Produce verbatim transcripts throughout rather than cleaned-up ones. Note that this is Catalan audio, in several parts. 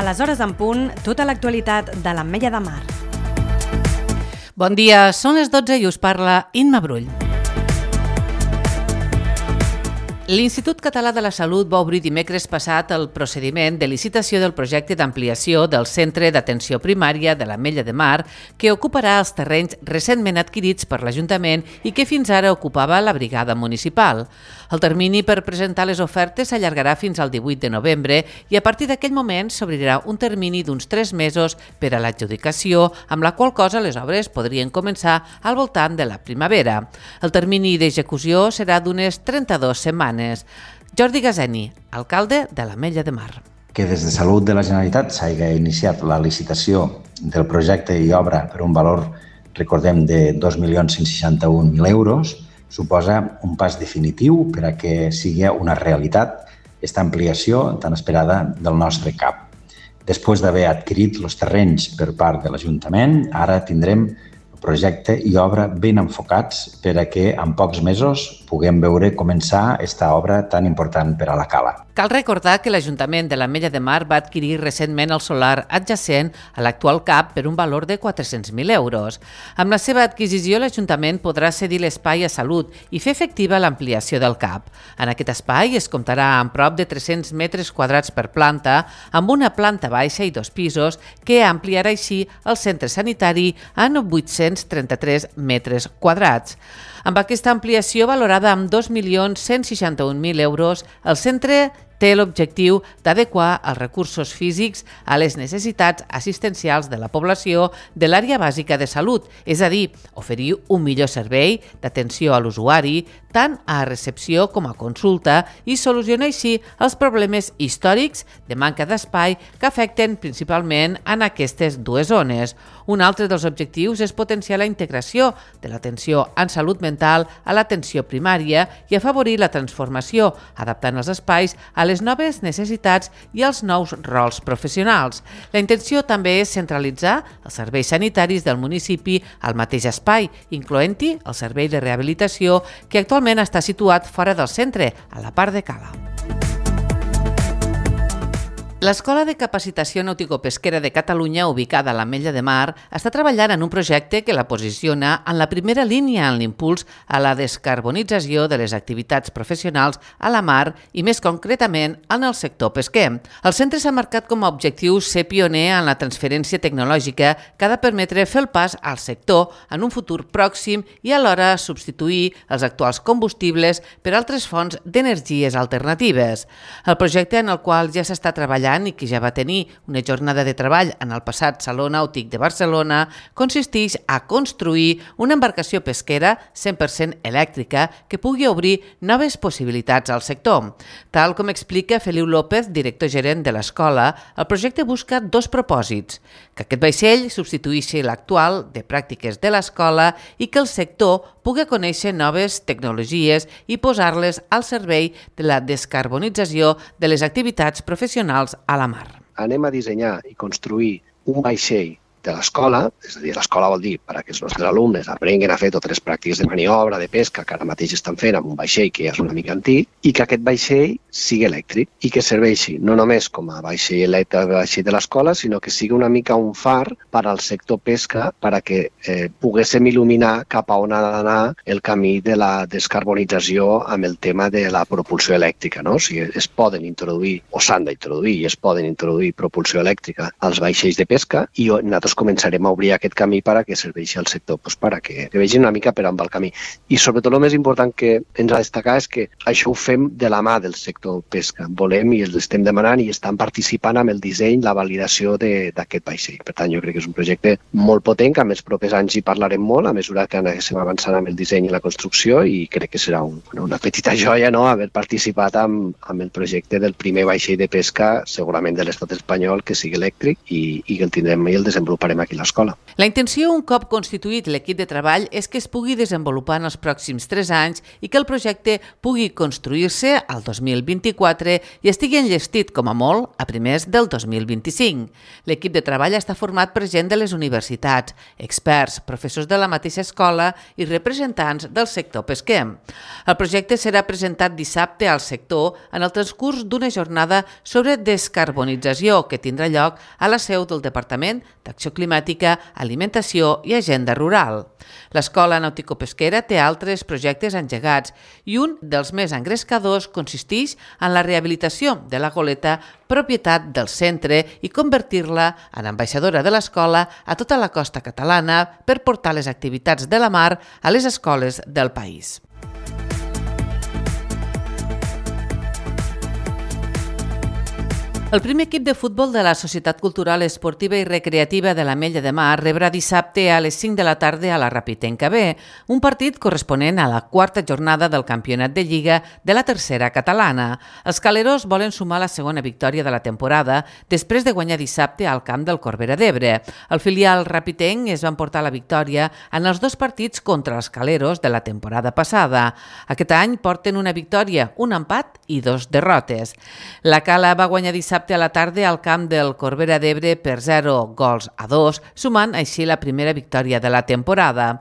A les hores en punt, tota l'actualitat de l'Ametlla de Mar. Bon dia, són les dotze i us parla Imma Brull. L'Institut Català de la Salut va obrir dimecres passat el procediment de licitació del projecte d'ampliació del Centre d'Atenció Primària de l'Ametlla de Mar, que ocuparà els terrenys recentment adquirits per l'Ajuntament i que fins ara ocupava la brigada municipal. El termini per presentar les ofertes s'allargarà fins al divuit de novembre i a partir d'aquell moment s'obrirà un termini d'uns tres mesos per a l'adjudicació, amb la qual cosa les obres podrien començar al voltant de la primavera. El termini d'execució serà d'unes trenta-dues setmanes. Jordi Gazeni, alcalde de l'Ametlla de Mar. Que des de Salut de la Generalitat s'hagi iniciat la licitació del projecte i obra per un valor, recordem, de dos milions cent seixanta-un mil euros, suposa un pas definitiu per a que sigui una realitat aquesta ampliació tan esperada del nostre C A P. Després d'haver adquirit els terrenys per part de l'Ajuntament, ara tindrem projecte i obra ben enfocats per a que en pocs mesos puguem veure començar aquesta obra tan important per a la Cala. Cal recordar que l'Ajuntament de l'Ametlla de Mar va adquirir recentment el solar adjacent a l'actual C A P per un valor de quatre-cents mil euros. Amb la seva adquisició, l'Ajuntament podrà cedir l'espai a Salut i fer efectiva l'ampliació del C A P. En aquest espai es comptarà amb prop de tres-cents metres quadrats per planta, amb una planta baixa i dos pisos, que ampliarà així el centre sanitari en vuit-cents trenta-tres metres quadrats. Amb aquesta ampliació valorada amb dos milions cent seixanta-un mil euros, el centre té l'objectiu d'adequar els recursos físics a les necessitats assistencials de la població de l'àrea bàsica de salut, és a dir, oferir un millor servei d'atenció a l'usuari, tant a recepció com a consulta, i solucionar així els problemes històrics de manca d'espai que afecten principalment en aquestes dues zones. Un altre dels objectius és potenciar la integració de l'atenció en salut mental a l'atenció primària i afavorir la transformació, adaptant els espais a les noves necessitats i als nous rols professionals. La intenció també és centralitzar els serveis sanitaris del municipi al mateix espai, incloent-hi el servei de rehabilitació, que actualment està situat fora del centre, a la part de Cala. L'Escola de Capacitació Nautico-Pesquera de Catalunya, ubicada a l'Ametlla de Mar, està treballant en un projecte que la posiciona en la primera línia en l'impuls a la descarbonització de les activitats professionals a la mar i, més concretament, en el sector pesquer. El centre s'ha marcat com a objectiu ser pioner en la transferència tecnològica que ha de permetre fer el pas al sector en un futur pròxim i alhora substituir els actuals combustibles per altres fonts d'energies alternatives. El projecte, en el qual ja s'està treballant i que ja va tenir una jornada de treball en el passat Saló Nàutic de Barcelona, consisteix a construir una embarcació pesquera cent per cent elèctrica que pugui obrir noves possibilitats al sector. Tal com explica Feliu López, director gerent de l'escola, el projecte busca dos propòsits: que aquest vaixell substitueixi l'actual de pràctiques de l'escola i que el sector pugui conèixer noves tecnologies i posar-les al servei de la descarbonització de les activitats professionals a la mar. Anem a dissenyar i construir un vaixell de l'escola, és a dir, l'escola vol dir perquè els nostres alumnes aprenguin a fer totes les pràctiques de maniobra, de pesca, que ara mateix estan fent amb un vaixell que ja és una mica antic, i que aquest vaixell sigui elèctric i que serveixi no només com a vaixell elèctric vaixell de l'escola, sinó que sigui una mica un far per al sector pesca perquè eh, poguéssim il·luminar cap a on ha d'anar el camí de la descarbonització amb el tema de la propulsió elèctrica. No? O sigui, es poden introduir, o s'han d'introduir, i es poden introduir propulsió elèctrica als vaixells de pesca, i nosaltres començarem a obrir aquest camí per a que serveixi al sector, doncs per a que, que vegin una mica per on va el camí. I sobretot el més important que ens ha de destacar és que això ho fem de la mà del sector pesca. Volem i els estem demanant i estan participant amb el disseny, la validació d'aquest vaixell. Per tant, jo crec que és un projecte molt potent, que en els propers anys hi parlarem molt a mesura que anem avançant amb el disseny i la construcció, i crec que serà un, una petita joia, no?, haver participat amb, amb el projecte del primer vaixell de pesca, segurament de l'estat espanyol, que sigui elèctric i, i que el tindrem i el desenvoluparem aquí a l'escola. La intenció, un cop constituït l'equip de treball, és que es pugui desenvolupar en els pròxims tres anys i que el projecte pugui construir-se al dos mil vint-i-quatre i estigui enllestit, com a molt, a primers del dos mil vint-i-cinc. L'equip de treball està format per gent de les universitats, experts, professors de la mateixa escola i representants del sector pesquer. El projecte serà presentat dissabte al sector en el transcurs d'una jornada sobre descarbonització que tindrà lloc a la seu del Departament d'Acció Climàtica, Alimentació i Agenda Rural. L'Escola Nàutico-Pesquera té altres projectes engegats i un dels més engrescadors consisteix en la rehabilitació de la goleta propietat del centre i convertir-la en ambaixadora de l'escola a tota la costa catalana per portar les activitats de la mar a les escoles del país. El primer equip de futbol de la Societat Cultural Esportiva i Recreativa de l'Ametlla de Mar rebrà dissabte a les cinc de la tarda a la Rapitenca B, un partit corresponent a la quarta jornada del campionat de Lliga de la tercera catalana. Els caleros volen sumar la segona victòria de la temporada després de guanyar dissabte al camp del Corbera d'Ebre. El filial rapitenc es va emportar la victòria en els dos partits contra els caleros de la temporada passada. Aquest any porten una victòria, un empat i dos derrotes. La Cala va guanyar dissabte a la tarda al camp del Corbera d'Ebre per zero gols a dos, sumant així la primera victòria de la temporada.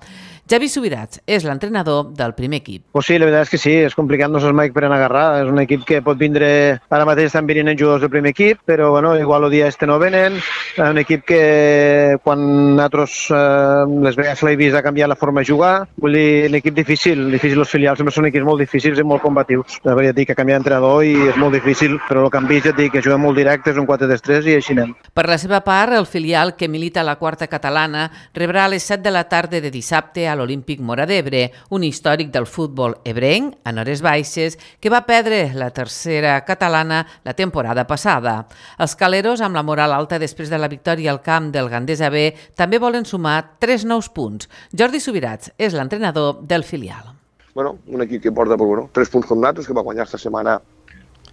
Javi Subirats és l'entrenador del primer equip. Pues sí, la veritat és que sí, és complicat, no saps mai per on agarrar. És un equip que pot vindre, ara mateix estan venint jugadors del primer equip, però bueno, igual el dia este no venen. És un equip que quan nosaltres eh, les vegades l'he vist ha canviat la forma de jugar. Vull dir, l'equip difícil, difícil els filials, sempre són equips molt difícils i molt combatius. La veritat dic que ha canviat d'entrenador i és molt difícil, però el que han vist ja et dic que juguen molt directe, és un quatre tres tres i així anem. Per la seva part, el filial que milita a la quarta catalana rebrà a les set de la tarda de dissabte a l'Olímpic Móra d'Ebre, un històric del futbol ebrenc, a Hores Baixes, que va perdre la tercera catalana la temporada passada. Els caleros, amb la moral alta després de la victòria al camp del Gandesa B, també volen sumar tres nous punts. Jordi Subirats és l'entrenador del filial. Bueno, un equip que porta pues, bueno, tres punts com nosaltres, que va guanyar esta setmana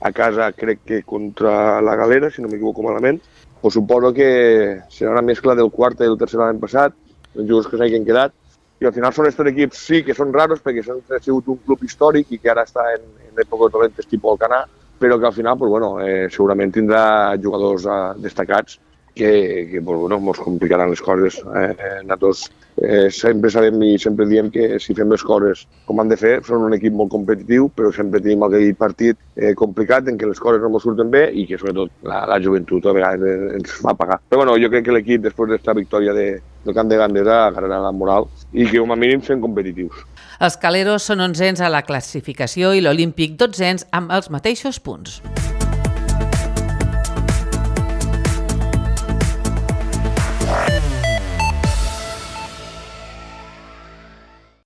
a casa, crec que contra la Galera, si no m'equivoco malament. Pues suposo que serà una mescla del quart i del tercer l'any passat, els jugadors que s'hagin quedat, i al final són estos equips sí que són raros perquè són, ha sigut un club històric i que ara està en, en èpoques dolentes tipus Alcanar, però que al final pues, bueno, eh, segurament tindrà jugadors eh, destacats que, que pues, bueno, ens complicaran les coses. Eh, nosaltres eh, sempre sabem i sempre diem que si fem les coses com han de fer, són un equip molt competitiu, però sempre tenim aquell partit eh, complicat en què les coses no ens surten bé i que sobretot la, la joventut a vegades ens fa pagar. Però bueno, jo crec que l'equip, després d'esta victòria de, del camp de Gandesa, agarrarà la moral i que com a mínim sent competitius. Els caleros són onzens a la classificació i l'Olímpic dotzens amb els mateixos punts.